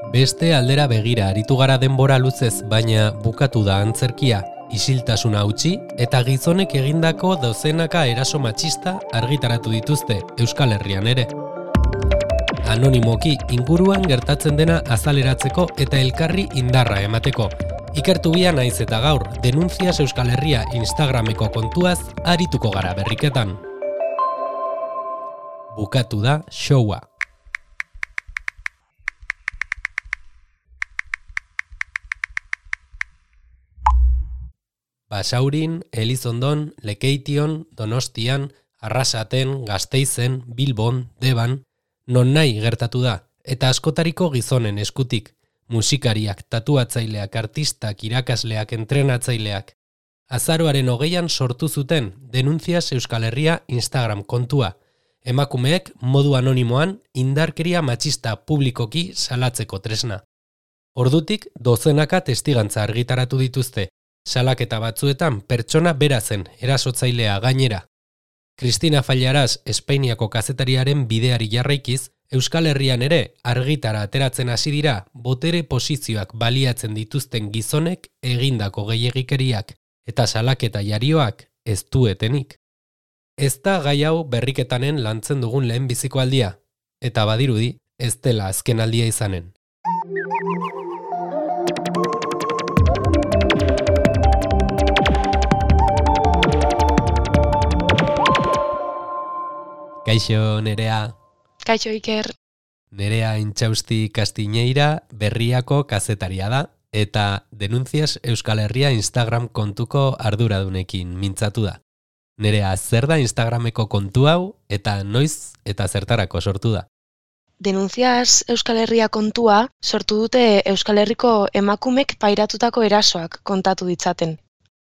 Beste aldera begira aritu gara denbora luzez, baina bukatu da antzerkia, isiltasuna utzi eta gizonek egindako dozenaka eraso matxista argitaratu dituzte Euskal Herrian ere. Anonimoki inguruan gertatzen dena azaleratzeko eta elkarri indarra emateko. Ikertu bia naiz eta gaur, Denuncias Euskal Herria Instagrameko kontuaz arituko gara berriketan. Bukatu da showa. Basaurin, Elizondon, Lekeition, Donostian, Arrasaten, Gasteizen, Bilbon, Deban, non nahi gertatu da, eta askotariko gizonen eskutik, musikariak, tatuatzaileak, artistak, irakasleak, entrenatzaileak. Azaroaren 20an sortu zuten Denuncias Euskal Herria Instagram kontua, emakumeek modu anonimoan indarkeria matxista publikoki salatzeko tresna. Ordutik dozenaka testigantza argitaratu dituzte, salaketa batzuetan pertsona bera zen erasotzailea gainera. Cristina Fallaras Espainiako kazetariaren bideari jarraikiz, Euskal Herrian ere argitara ateratzen hasi dira botere posizioak baliatzen dituzten gizonek egindako gehiegikeriak eta salaketa jarioak ez duetenik. Ez da gai hau berriketanen lantzen dugun lehenbiziko aldia, eta badirudi ez dela azken aldia izanen. Kaixo, Nerea. Kaixo, Iker. Nerea Intxausti Kastiñeira Berriako kazetaria da, eta Denuncias Euskal Herria Instagram kontuko arduradunekin mintzatu da. Nerea, zer da Instagrameko kontu hau, eta noiz eta zertarako sortu da? Denuncias Euskal Herria kontua sortu dute Euskal Herriko emakumek pairatutako erasoak kontatu ditzaten.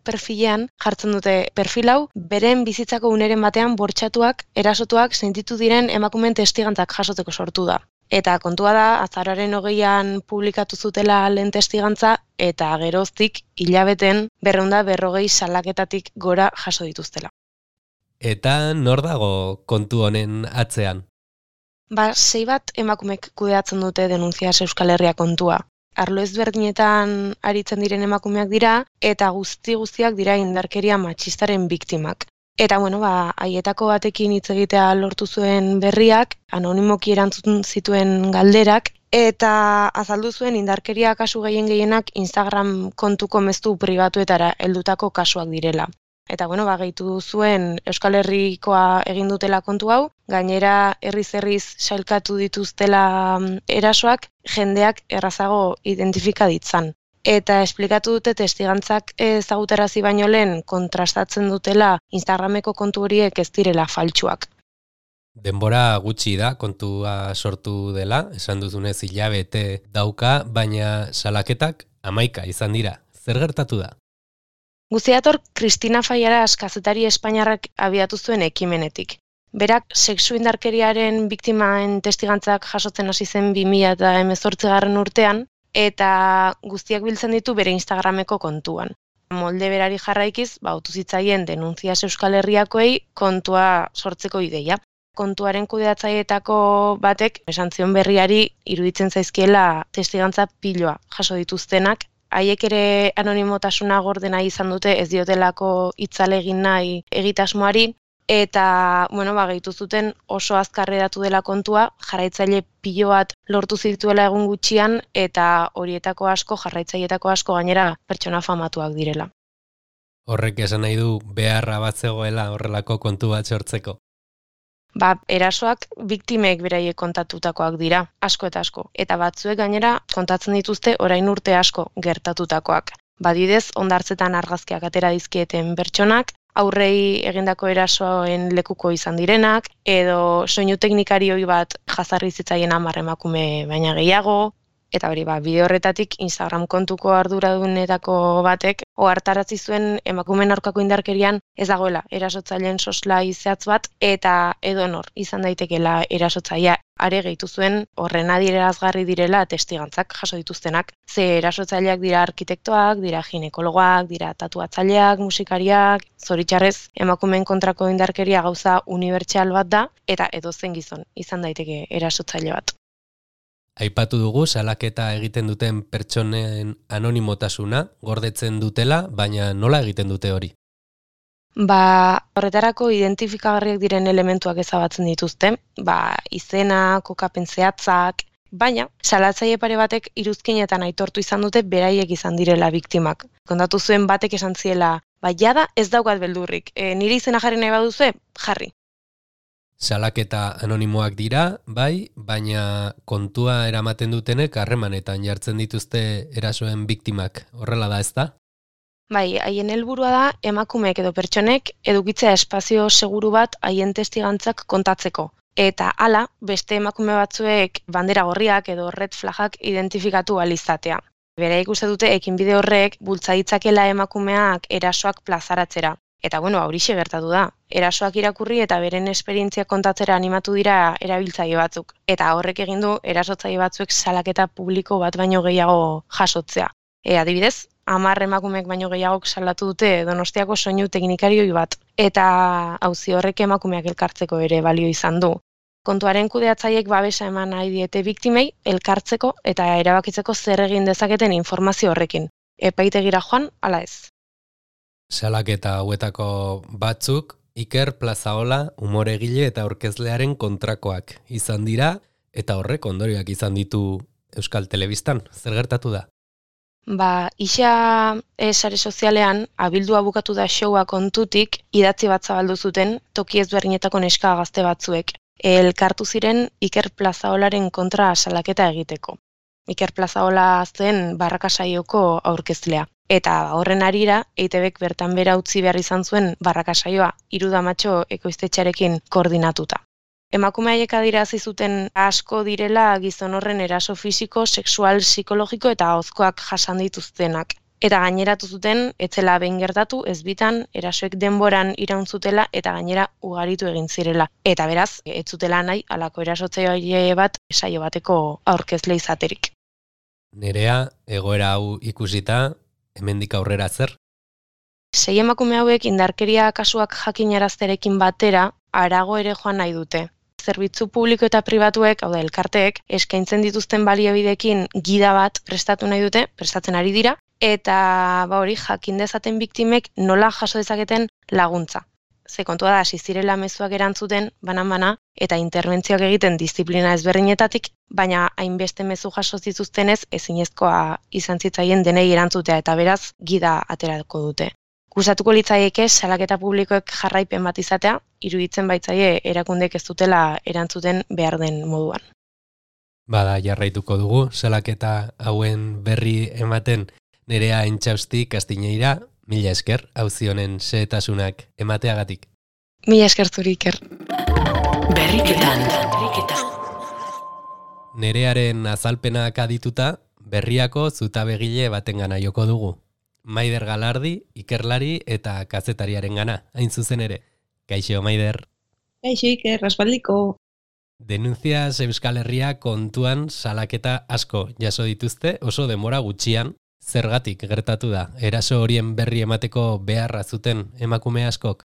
Perfilean jartzen dute perfil hau, beren bizitzako uneren batean bortxatuak, erasotuak sentitu diren emakumeen testigantzak jasoteko sortu da. Eta kontua da, azaroaren 20an publikatu zutela lehen testigantza, eta geroztik hilabeten 240 salaketatik gora jaso dituztela. Eta nor dago kontu honen atzean? 6 bat emakumek kudeatzen dute Denuncias Euskal Herria kontua. Arlo ezberdinetan aritzen diren emakumeak dira, eta guztiak dira indarkeria matxistaren biktimak. Eta haietako batekin hitz egitea lortu zuen Berriak, anonimoki erantzun zituen galderak, eta azaldu zuen indarkeria kasu gehienak Instagram kontuko mezu pribatuetara heldutako kasuak direla. Eta gehitu zuen Euskal Herrikoa egin dutela kontu hau, gainera herriz sailkatu dituztela erasoak, jendeak errazago identifika ditzan. Eta esplikatu dute testigantzak ezagutarazi baino lehen kontrastatzen dutela Instagrameko kontu horiek ez direla faltsuak. Denbora gutxi da kontua sortu dela, esan duzunez hilabete dauka, baina salaketak 11 izan dira. Zer gertatu da? Guztiator, Cristina Fallaras kazetari espainiarrak abiatu zuen ekimenetik. Berak sexu indarkeriaren biktimaen testigantzak jasotzen hasi zen 2018 urtean, eta guztiak biltzen ditu bere Instagrameko kontuan. Molde berari jarraikiz, bautu zitzaien Denuncias Euskal Herriakoei kontua sortzeko ideia. Kontuaren kudeatzaileetako batek esan zion Berriari iruditzen zaizkiela testigantza piloa jaso dituztenak, haiek ere anonimotasuna gordena izan dute ez diotelako hitzalegin nahi egitasmoari, eta gehitu zuten oso azkar hedatu dela kontua, jarraitzaile pilo bat lortu zituela egun gutxian, eta horietako asko, jarraitzaileetako asko gainera pertsona famatuak direla. Horrek esan nahi du beharra bat zegoela horrelako kontu bat sortzeko. Erasoak biktimek beraiek kontatutakoak dira, asko eta asko. Eta batzuek gainera kontatzen dituzte orain urte asko gertatutakoak. Badidez, hondartzetan argazkiak atera dizkieten pertsonak, aurrei egindako erasoen lekuko izan direnak, edo soinu teknikarioi bat jazarri zitzaien 10 emakume baina gehiago, eta bideo horretatik Instagram kontuko arduradunetako batek ohartarazi zuen emakumeen aurkako indarkerian ez dagoela erasotzaileen soslai zehatz bat, eta edonor izan daitekeela erasotzailea. Are gehitu zuen horren adierazgarri direla testigantzak jaso dituztenak. Ze erasotzaileak dira arkitektoak, dira ginekologoak, dira tatuatzaileak, musikariak, zoritxarrez emakumeen kontrako indarkeria gauza unibertsal bat da, eta edozen gizon izan daiteke erasotzaile bat. Aipatu dugu salaketa egiten duten pertsonen anonimotasuna gordetzen dutela, baina nola egiten dute hori? Horretarako identifikagarriak diren elementuak ezabatzen dituzte, izena, kokapen zehatzak, baina salatzaile pare batek iruzkinetan aitortu izan dute beraiek izan direla biktimak. Kontatu zuen batek esan ziela, jada ez daukat beldurrik, nire izena jarri nahi baduzue, jarri. Salaketa anonimoak dira, bai, baina kontua eramaten dutenek harremanetan jartzen dituzte erasoen biktimak. Horrela da, ezta? Bai, haien helburua da emakumeek edo pertsonek edukitzea espazio seguru bat haien testigantzak kontatzeko. Eta hala, beste emakume batzuek bandera gorriak edo red flagak identifikatu ahal izatea. Beraiek uste dute ekinbide horrek bultza ditzakela emakumeak erasoak plazaratzera. Eta horixe gertatu da. Erasoak irakurri eta beren esperientzia kontatzera animatu dira erabiltzaile batzuk. Eta horrek egin du erasotzaile batzuek salaketa publiko bat baino gehiago jasotzea. Adibidez, 10 emakumeek baino gehiagok salatu dute Donostiako soinu teknikarioi bat. Eta auzi horrek emakumeak elkartzeko ere balio izan du. Kontuaren kudeatzaileek babesa eman nahi diete biktimei elkartzeko eta erabakitzeko zer egin dezaketen informazio horrekin. Epaitegira joan, ala ez. Salaketa hauetako batzuk Iker Plazaola umoregile eta aurkezlearen kontrakoak izan dira eta horrek ondorioak izan ditu Euskal Telebistan. Zer gertatu da? Isa sare sozialean abildua bukatu da showa kontutik idatzi bat zabaldu zuten toki ezberdinetako neska gazte batzuek. Elkartu ziren Iker Plazaolaren kontra salaketa egiteko. Iker Plazaola zen Barrakasaioko aurkezlea. Eta horren harira, EITBek bertan bera utzi behar izan zuen Barrakasaioa 3 damatxo ekoiztetxearekin koordinatuta. Emakume haiek adierazi zuten asko direla gizon horren eraso fisiko, sexual, psikologiko eta ahozkoak jasan dituztenak. Eta gaineratu zuten, etzela behin gertatu, ez bitan, erasoek denboran iraun zutela eta gainera ugaritu egin zirela. Eta beraz, ez zutela nahi halako erasotzaile bat saio bateko aurkezle izaterik. Nerea, egoera hau ikusita, hemendik aurrera zer? 6 emakume hauek indarkeria kasuak jakinarazterekin batera, harago ere joan nahi dute. Zerbitzu publiko eta pribatuek, hau da elkarteek, eskaintzen dituzten baliabideekin gida bat prestatzen ari dira, eta hori jakin dezaten biktimek nola jaso dezaketen laguntza. Ze kontua da, hasi zirela mezuak erantzuten, banan-bana, eta interbentzioak egiten diziplina ezberdinetatik, baina hainbeste mezu jaso zituztenez ezinezkoa izan zitzaien denei erantzutea eta beraz gida aterako dute. Gustatuko litzaieke salaketa publikoek jarraipen bat izatea, iruditzen baitzaie erakundek ez dutela erantzuten behar den moduan. Bada, jarraituko dugu salaketa hauen berri ematen. Nerea Intxausti Kastiñeira, mila esker, auzi honen xehetasunak emateagatik. Mila esker zuri, Iker. Berriketan. Nerearen azalpenak adituta, berriako zutabegile batengana joko dugu. Maider Galardi, ikerlari eta kazetariaren gana, hain zuzen ere. Kaixo, Maider. Kaixo, Iker, aspaldiko. Denuntzias Euskal Herria kontuan salaketa asko jaso dituzte, oso denbora gutxian. Zergatik gertatu da, eraso horien berri emateko beharra zuten emakume askok?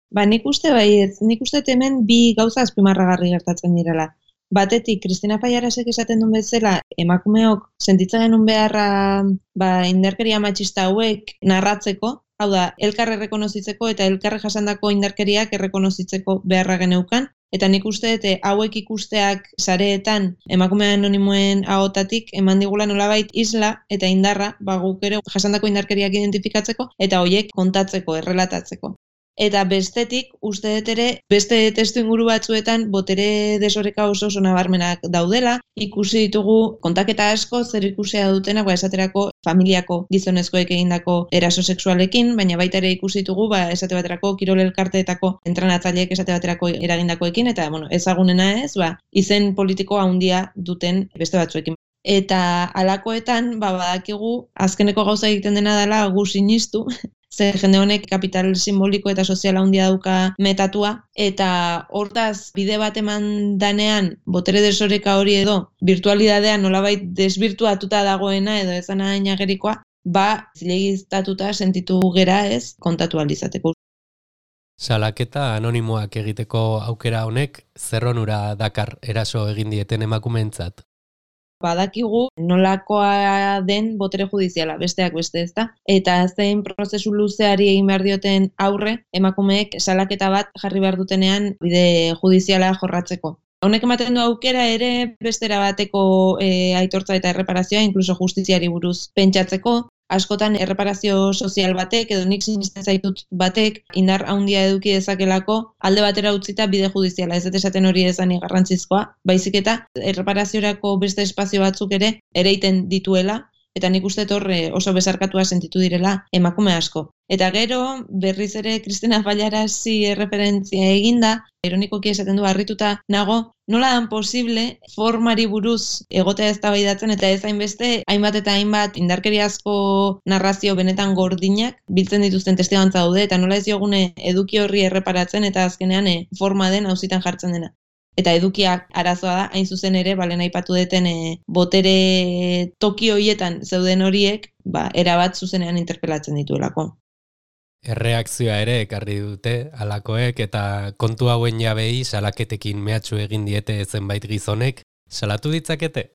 Nik uste hemen 2 gauza azpimarragarri gertatzen direla. Batetik, Kristina Faiarasek esaten duen bezala, emakumeok sentitzen genuen beharra indarkeria matxista hauek narratzeko, hau da, elkarre errekonozitzeko eta elkarre jasandako indarkeriak errekonozitzeko beharra geneukan, eta nik uste hauek ikusteak sareetan emakume anonimoen ahotatik eman digula nolabait isla eta indarra guk ere jasandako indarkeriak identifikatzeko eta horiek kontatzeko, errelatatzeko. Eta bestetik, uste dut ere, beste testu inguru batzuetan botere desoreka oso nabarmenak daudela, ikusi ditugu kontaketa asko zer ikusia dutenak, esaterako familiako gizonezkoek egindako eraso sexualekin, baina baita ere ikusi ditugu, esate baterako kirol elkarteetako entrenatzaileek esate baterako eragindakoekin, eta ezagunena ez, izen politiko handia duten beste batzuekin. Eta halakoetan, badakigu, azkeneko gauza egiten dena dela gu sinistu, ze jende honek kapital simboliko eta soziala handia dauka metatua, eta hortaz bide bat eman danean botere desoreka hori edo virtualidadean nolabait desbirtuatuta dagoena edo ezana ainagerikoa, zilegiztatuta sentitu gera ez kontatu alizateko. Salaketa anonimoak egiteko aukera honek zer onura dakar eraso egin dieten emakumeentzat? badakigu nolakoa den botere judiziala, besteak beste, ezta? Eta zein prozesu luzeari egin behar dioten aurre, emakumeek salaketa bat jarri behar dutenean bide judiziala jorratzeko. Honek ematen du aukera ere bestera bateko aitortza eta erreparazioa, inkluso justiziari buruz pentsatzeko. Askotan erreparazio sozial batek, edo nik sinisten zaitut batek, indar handia eduki dezakelako, alde batera utzita bide judiziala, ez dut esaten hori ezanik garrantzizkoa, baizik eta erreparaziorako beste espazio batzuk ere ereiten dituela, eta nik uste horre oso besarkatua sentitu direla emakume asko. Eta gero, berriz ere Cristina Fallarasi erreferentzia eginda, ironikoki esaten du harrituta nago, nola dan posible formari buruz egotea eztabaidatzen eta ez hainbeste hainbat eta hainbat indarkeriazko narrazio benetan gordinak biltzen dituzten testigantza daude eta nola ez diogune eduki horri erreparatzen eta azkenean forma den auzitan jartzen dena. Eta edukiak arazoa da, hain zuzen ere, balen aipatu deten botere toki horietan zeuden horiek, erabat zuzenean interpelatzen dituelako. Erreakzioa ere ekarri dute alakoek eta kontu hauen jabei salaketekin mehatxu egin diete zenbait gizonek, salatu ditzakete?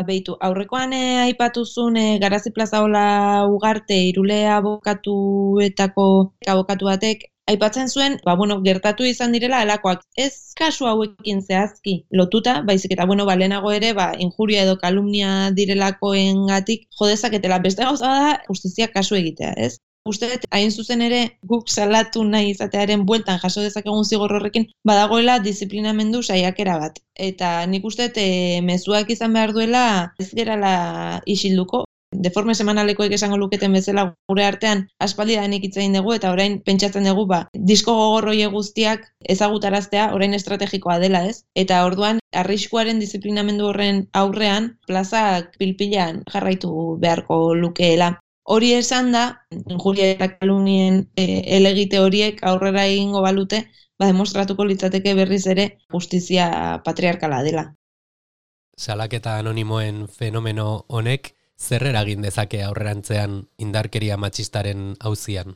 Beitu, aurrekoan aipatuzun Garazi Plazaola Ugarte Irule abokatuetako abokatu batek aipatzen zuen, gertatu izan direla alakoak. Ez kasu hauekin zehazki lotuta, baizik eta lehenago ere, injuria edo kalumnia direlakoengatik jo dezaketela. Beste gauza da justizia kasu egitea, ez? Uste dut, hain zuzen ere, guk salatu nahi izatearen bueltan jaso dezakegun zigor horrekin, badagoela disiplinamendu saiakera bat. Eta nik uste dut, mezuak izan behar duela, ez gerala isilduko. Deforme semanalekoek esango luketen bezala gure artean aspaldidanik hitz egin dugu eta orain pentsatzen dugu disko gogorroie guztiak ezagutaraztea orain estrategikoa dela, ez? Eta orduan arriskuaren disiplinamendu horren aurrean plazak pilpilan jarraitu beharko lukeela. Hori esan da, injuria eta kalumnien elegite horiek aurrera egingo balute, demostratuko litzateke berriz ere justizia patriarkala dela. Salaketa anonimoen fenomeno honek zer eragin dezake aurrerantzean indarkeria matxistaren auzian?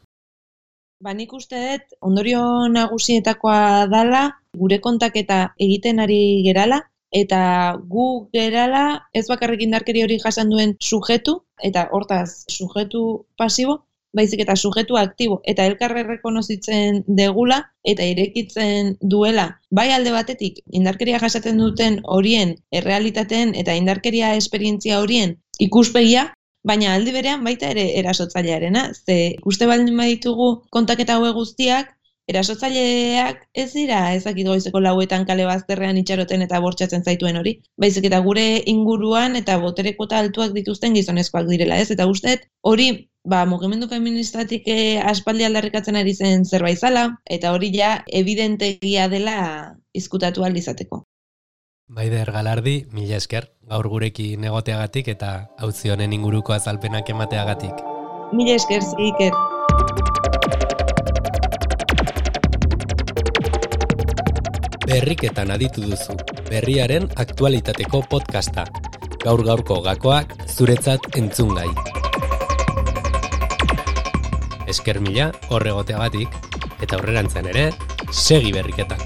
Nik uste dut, ondorio nagusietakoa dala, gure kontaketa egiten ari gerala, eta gu gerala ez bakarrik indarkeri hori jasan duen sujetu, eta hortaz sujetu pasibo, baizik eta sujetu aktibo, eta elkarre rekonozitzen degula, eta irekitzen duela, bai alde batetik, indarkeria jasaten duten horien errealitateen eta indarkeria esperientzia horien ikuspegia, baina aldi berean baita ere erasotzailearena, ze ikuste baldin baditugu kontaketa haue guztiak, erasotzaileak ez dira ezakit goizeko 4 kale bazterrean itxaroten eta bortxatzen zaituen hori, baizik eta gure inguruan eta boterekota altuak dituzten gizonezkoak direla, ez? Eta usteet hori mugimendu feministatik aspaldi aldarrikatzen ari zen zerbait zala, eta hori ja evidentegia dela izkutatu ahal izateko. Maider Galardi, mila esker, gaur gurekin egoteagatik eta auzi honen inguruko azalpenak emateagatik. Mila esker, Iker. Berriketan aditu duzu, berriaren aktualitateko podcasta. Gaur-gaurko gakoak zuretzat entzungai. Esker mila horregoteagatik eta aurrerantzean ere, segi berriketan.